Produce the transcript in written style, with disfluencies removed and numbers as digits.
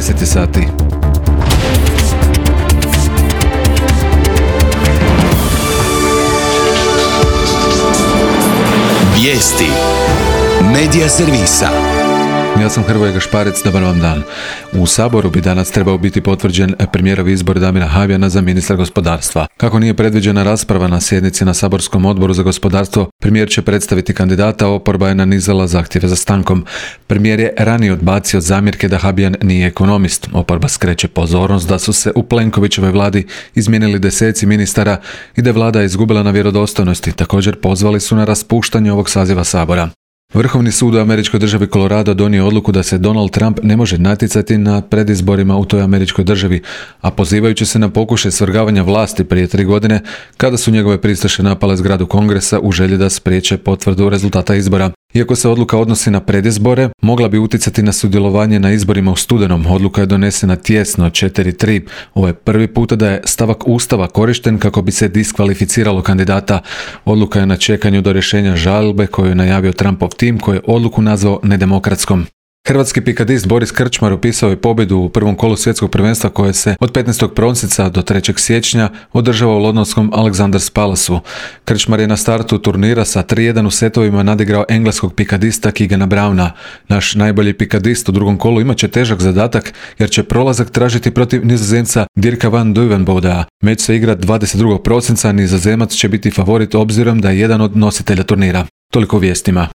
10 sati. Vijesti Medija servisa. Ja sam Hrvoje Gašparec, dobar vam dan. U Saboru bi danas trebao biti potvrđen premijerov izbor Damira Habijana za ministra gospodarstva. Kako nije predviđena rasprava na sjednici na Saborskom odboru za gospodarstvo, premijer će predstaviti kandidata, oporba je nanizala zahtjeve za stankom. Premijer je ranije odbacio zamjerke da Habijan nije ekonomist. Oporba skreće pozornost da su se u Plenkovićevoj vladi izmijenili deseci ministara i da je vlada izgubila na vjerodostojnosti. Također pozvali su na raspuštanje ovog saziva Sabora. Vrhovni sud u američkoj državi Colorado donio odluku da se Donald Trump ne može natjecati na predizborima u toj američkoj državi, a pozivajući se na pokušaj svrgavanja vlasti prije 3 godine, kada su njegove pristaše napale zgradu Kongresa u želji da spriječe potvrdu rezultata izbora. Iako se odluka odnosi na predizbore, mogla bi utjecati na sudjelovanje na izborima u studenom. Odluka je donesena tijesno 4-3. Ovo je prvi puta da je stavak Ustava korišten kako bi se diskvalificiralo kandidata. Odluka je na čekanju do rješenja žalbe koju je najavio Trumpov tim, koji je odluku nazvao nedemokratskom. Hrvatski pikadist Boris Krčmar upisao je pobjedu u prvom kolu svjetskog prvenstva koje se od 15. prosinca do 3. siječnja održava u londonskom Alexanders Palaceu. Krčmar je na startu turnira sa 3-1 u setovima nadigrao engleskog pikadista Keegana Browna. Naš najbolji pikadist u drugom kolu imat će težak zadatak jer će prolazak tražiti protiv Nizozemca Dirka van Duivenboda. Meč se igra 22. prosinca, Nizozemac će biti favorit obzirom da je jedan od nositelja turnira. Toliko o vijestima.